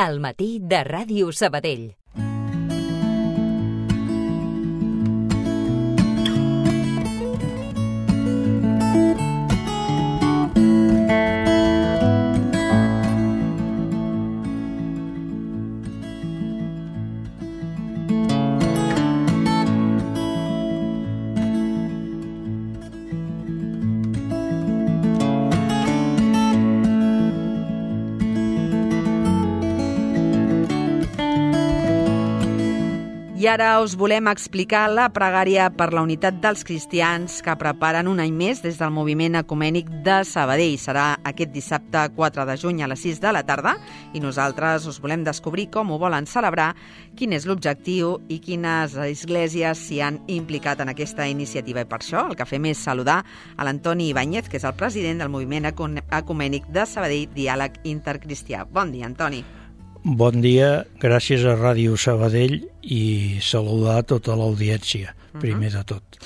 Al matí de Ràdio Sabadell. I ara us volem explicar la pregària per la unitat dels cristians que preparen un any més des del moviment ecumènic de Sabadell. Serà aquest dissabte 4 de juny a les 6 de la tarda i nosaltres us volem descobrir com ho volen celebrar, quin és l'objectiu i quines esglésies s'hi han implicat en aquesta iniciativa. I per això el que fem és saludar a l'Antoni Ibáñez, que és el president del moviment ecumènic de Sabadell, Diàleg Intercristià. Bon dia, Antoni. Bon dia, gràcies a Ràdio Sabadell i saludar a tota l'audiència, primer de tot.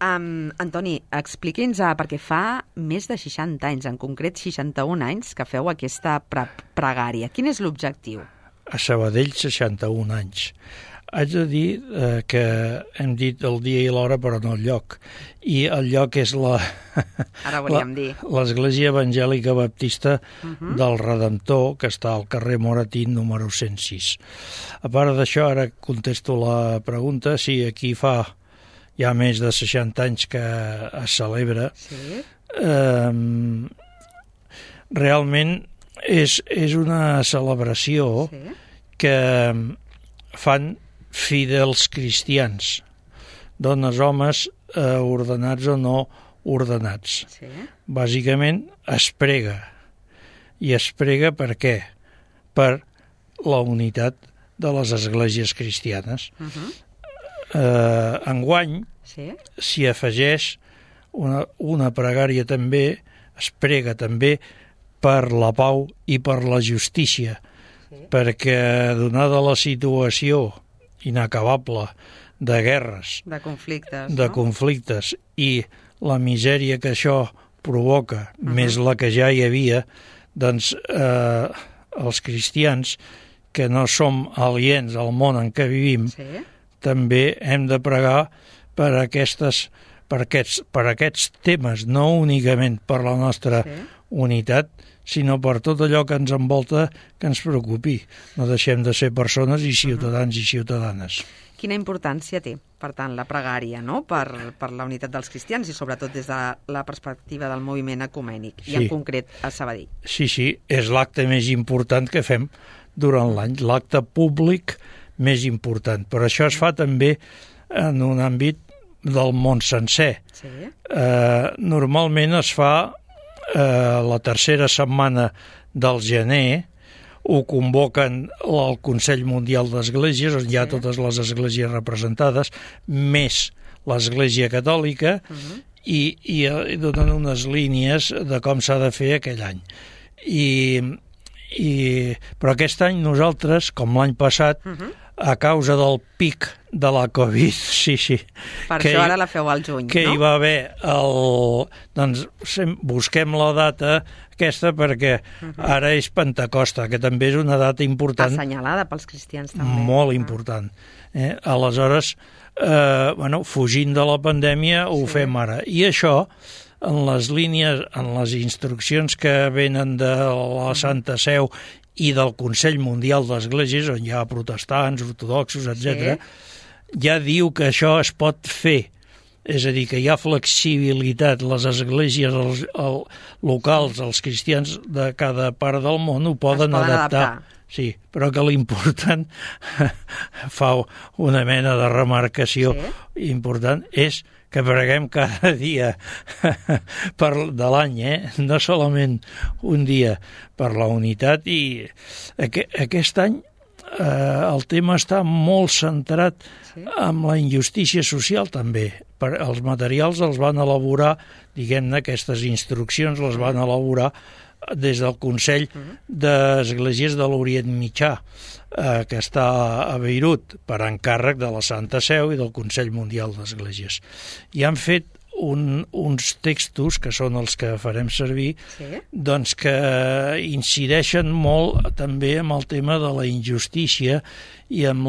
Antoni, expliqui'ns, perquè fa més de 60 anys, en concret 61 anys, que feu aquesta pregària. Quin és l'objectiu? A Sabadell, 61 anys. Haig de dir que hem dit el dia i l'hora, però no el lloc. I el lloc és l'Església Evangèlica Baptista del Redemptor, que està al carrer Moratín, número 106. A part d'això, ara contesto la pregunta, si aquí fa ja més de 60 anys que es celebra. Sí. Realment és una celebració que fan fidels cristians, dones, homes, ordenats o no ordenats. Sí. Bàsicament es prega. I es prega per què? Per la unitat de les esglésies cristianes. Enguany s'hi afegeix una pregària també, es prega també per la pau i per la justícia, perquè donada la situació inacabable de guerres, de conflictes i la misèria que això provoca, més la que ja hi havia, doncs els cristians, que no som aliens al món en què vivim, també hem de pregar per aquests temes, no únicament per la nostra unitat, sinó per tot allò que ens envolta, que ens preocupi. No deixem de ser persones i ciutadans i ciutadanes. Quina importància té, per tant, la pregària, no?, per la unitat dels cristians i sobretot des de la perspectiva del moviment ecumènic, i en concret a Sabadell. Sí, és l'acte més important que fem durant l'any, l'acte públic més important. Però això es fa també en un àmbit del món sencer. Normalment es fa la tercera setmana del gener, ho convoquen el Consell Mundial d'Esglésies, on hi ha totes les esglésies representades, més l'Església Catòlica, i donen unes línies de com s'ha de fer aquell any. Però aquest any nosaltres, com l'any passat, a causa del pic de la Covid, Per això ara la feu al juny, que hi va haver doncs busquem la data aquesta perquè ara és Pentecosta, que també és una data important. Assenyalada pels cristians també. Molt important. Aleshores, fugint de la pandèmia, ho fem ara. I això, en les línies, en les instruccions que venen de la Santa Seu i del Consell Mundial d'Esglésies, on hi ha protestants, ortodoxos, etc., ja diu que això es pot fer. És a dir, que hi ha flexibilitat. Les esglésies locals, els cristians de cada part del món ho poden adaptar. Sí, però que l'important, fa una mena de remarcació important, és que preguem cada dia de l'any, no solament un dia, per la unitat. I aquest any el tema està molt centrat en la injustícia social també. Els materials els van elaborar, diguem-ne, aquestes instruccions les van elaborar des del Consell d'Esglésies de l'Orient Mitjà, que està a Beirut, per encàrrec de la Santa Seu i del Consell Mundial d'Esglésies. I han fet uns textos, que són els que farem servir, Sí. doncs que incideixen molt també amb el tema de la injustícia i amb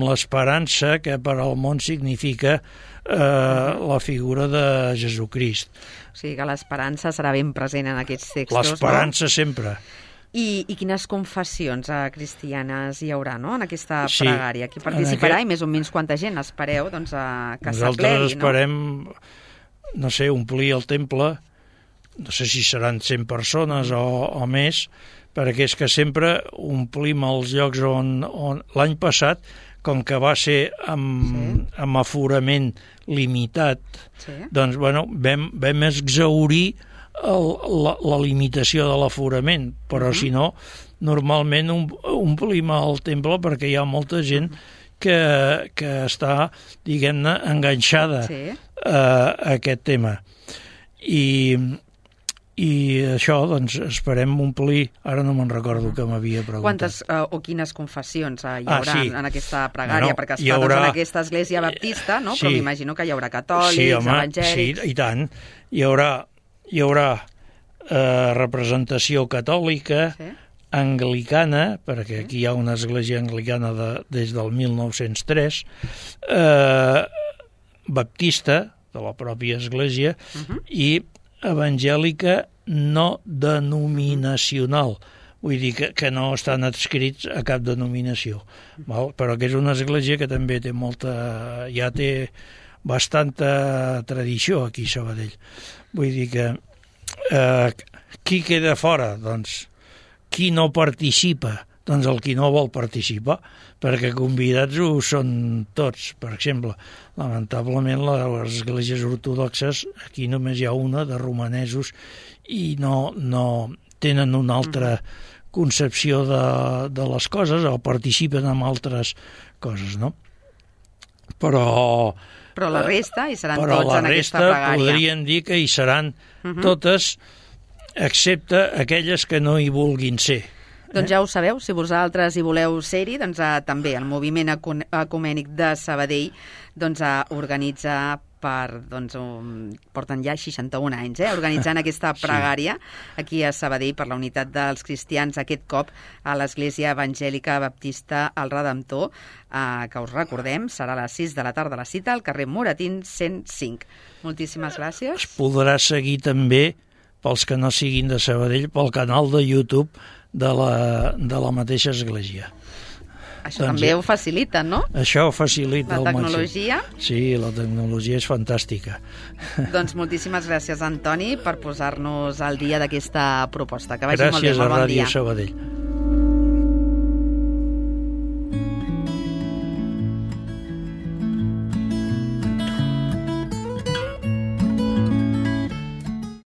l'esperança que per al món significa la figura de Jesucrist. O sigui que l'esperança serà ben present en aquests textos, L'esperança sempre. I quines confessions cristianes hi haurà, no?, en aquesta Sí, pregària? Qui participarà i més o menys quanta gent espereu que Nosaltres s'aplegui, no? esperem, no sé, omplir el temple, no sé si seran 100 persones o més, perquè és que sempre omplim els llocs on l'any passat, com que va ser amb aforament limitat, doncs, bueno, vam exhaurir la limitació de l'aforament, però si no, normalment omplim el temple perquè hi ha molta gent que està, diguem-ne, enganxada a aquest tema. I això, doncs, esperem omplir... Ara no me'n recordo que m'havia preguntat. Quantes o quines confessions hi haurà en aquesta pregària? Perquè es fa en aquesta església baptista, no? Però m'imagino que hi haurà catòlics, evangèlics... Sí, i tant. Hi haurà representació catòlica, anglicana, perquè aquí hi ha una església anglicana des del 1903, baptista, de la pròpia església, i evangèlica no denominacional, vull dir que no estan adscrits a cap denominació, però que és una església que també té ja té bastanta tradició aquí a Sabadell. Vull dir que qui queda fora? Doncs qui no participa? Doncs el qui no vol participar, perquè convidats ho són tots. Per exemple, lamentablement les esglésies ortodoxes, aquí només hi ha una de romanesos i no tenen una altra concepció de les coses o participen en altres coses, no? Però la resta hi seran tots en aquesta pregària. Però la resta podrien dir que hi seran totes, excepte aquelles que no hi vulguin ser. Doncs ja ho sabeu, si vosaltres hi voleu ser-hi, doncs també el Moviment Ecumènic de Sabadell organitza porten ja 61 anys, organitzant aquesta pregària aquí a Sabadell per la unitat dels cristians, aquest cop a l'Església Evangèlica Baptista El Redemptor, que us recordem, serà a les 6 de la tarda la cita al carrer Moratín 105. Moltíssimes gràcies. Es podrà seguir també, pels que no siguin de Sabadell, pel canal de YouTube de la mateixa església. Això també ho facilita, no? Això ho facilita la tecnologia. Sí, la tecnologia és fantàstica. Doncs moltíssimes gràcies, Antoni, per posar-nos al dia d'aquesta proposta. Que vagi molt bé, molt bon dia. Gràcies a Ràdio Sabadell.